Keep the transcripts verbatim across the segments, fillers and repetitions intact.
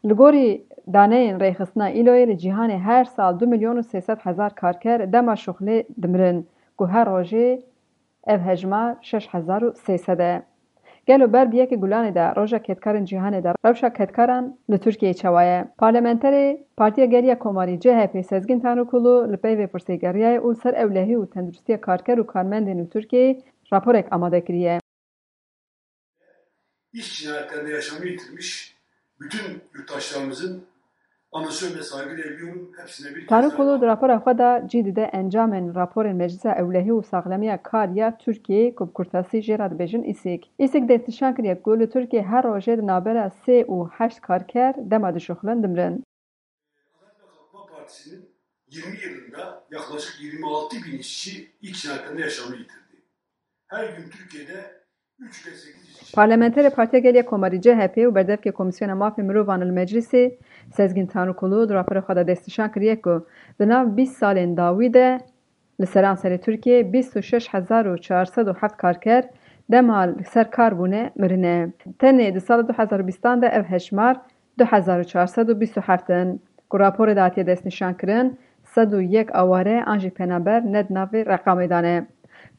Li gorî daneyên rêxistina îloyê li cîhanê her sal du milyon û sê sed hezar karker dema şuxlê dimirin, ku her rojê ev hejmar şeş hezar û sê sed e. Gelo ber bi yekê Gulanê de roja kedkarên cîhanê de rewşa kedkaran li Tirkiyeyê çawa ye? Parlamenterê Partiya Gel ya Komarî C H P Sezgîn Tanrikulu li pey vê pirsê geriyaye û li ser ewlehî û tenduristiya karker û karmendên li Tirkiyeyê raporek amade kiriye. İş cinayetlerinde yaşamını yitirmiş bütün yurttaşlarımızın anısına saygı duyuyorum. Hepsine bir kez daha Tanrikulu di rapora xwe de cî dide encamên raporên Meclisa Ewlehî û Saxlemiya Kar ya Tirkiyeyê ku bi kurtasî jê re dibêjin îsîk. Îsîk destnîşan kiriye ku li Tirkiyeyê her rojê di navbera sê û heşt karker dema dişuxulin dimirin. Adalet ve Kalkınma Partisi'nin yirmi yılında yaklaşık yirmi altı bin işçi iş cinayetlerinde yaşamını yitirdi. Her gün Türkiye'de üç ile sekiz işçi Parlamenterê Partiya Gel ya Komarî C H P û berdevkê Komîsyona Mafê Mirovan li Meclîsê, Sezgîn Tanrikulu di rapora xwe de destnîşan kiriye ku di nav bîst salên dawî de li seranserê Tirkiyeyê bîst û şeş hezar û çar sed û heft karker dema li ser kar bûne mirine. Tenê di sala du hezar û bîstan de ev hejmar du hezar û çar sed û bîst û heft in, ku raporê de hatiye destnîşankirin, sed û yek aware an jî penaber ne di navê reqamê de ne.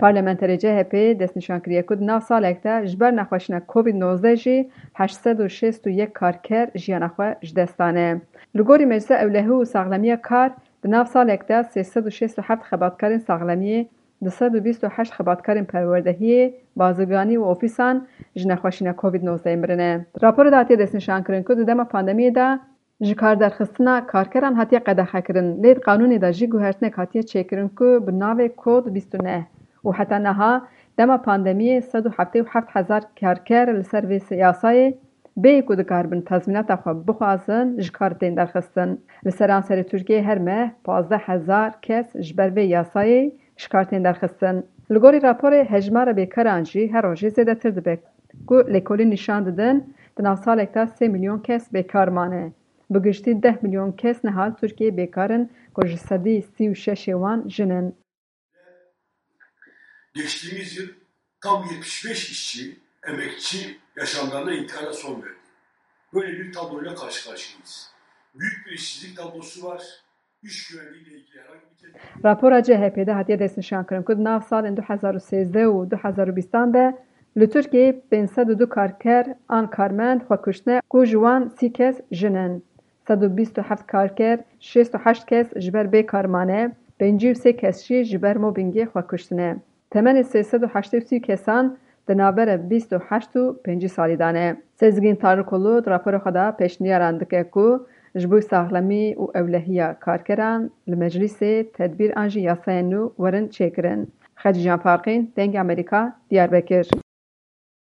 Parlamenterê C H P destnîşan kiriye ku di nav salek de ji ber nexweşîna Covid nozdeh jî heşt sed û şêst û yek karker jiyana xwe ji dest dane. Li gorî Meclisa Ewlehî û Saxlemiya Kar, di nav salek de sê sed û şêst û heft xebatkarên saxlemiyê, du sed û bîst û heşt xebatkarên perwerdehiyê, bazirganî û ofîsan ji nexweşîna Covid nozdeh mirine. Di raporê de hatiye destnîşankirin ku di dema pandemiyê de ji kar derxistina karkeran hatiye qedexekirin, lê di qanûnê de jî guhertinek hatiye çêkirin ku bi navê Kod bîst û neh û heta niha dema pandemiyê sed û heftê û heft hezar karker li ser vê yasayê bêyî ku dikaribin tazmînata xwe bixwazin, ji kar tên derxistin. Li seranserê Tirkiyeyê her meh pazdeh hezar kes ji ber vê yasayê ji kar tên derxistin. Li gorî raporê hejmara bêkaran jî her rojê zêdetir dibe, ku lêkolîn nîşan didin di nav salek de sê milyon kes bêkar mane. Bi giştî deh milyon kes niha li Tirkiyeyê bêkar in, ku ji sedî sî û şeşê wan jin in. Geçtiğimiz yıl tam yetmiş beş işçi, emekçi yaşamlarına intiharla son verdi. Böyle bir tabloyla karşı karşıyayız. Büyük bir işsizlik tablosu var. İş güvenliğiyle ilgili herhangi bir tedbir Rapora C H P de hatiye destnîşankirin ku di nav salên du hezar û sêzdeh û du hezar û bîstan de li Tirkiyeyê pênc sed û du karker an karmend xwe kuştine, ku ji wan sî kes jin in. Sed û bîst û heft karker, şêst û heşt kes ji ber bêkar mane, pêncî û sê kes jî ji ber mobbingê xwe kuştine. Temenê sê sed û heştê û sî kesan di navbera bîst û heşt û pêncî salî de ne. Sezgîn Tanrikulu di rapora xwe de pêşniyaran dike ku ji bo saxlemî û ewlehiya karkeran li meclîsê tedbîr an jî yasayên nû werin çêkirin. Xecîcan Farqîn, Dengê Amerîka, Diyarbekir.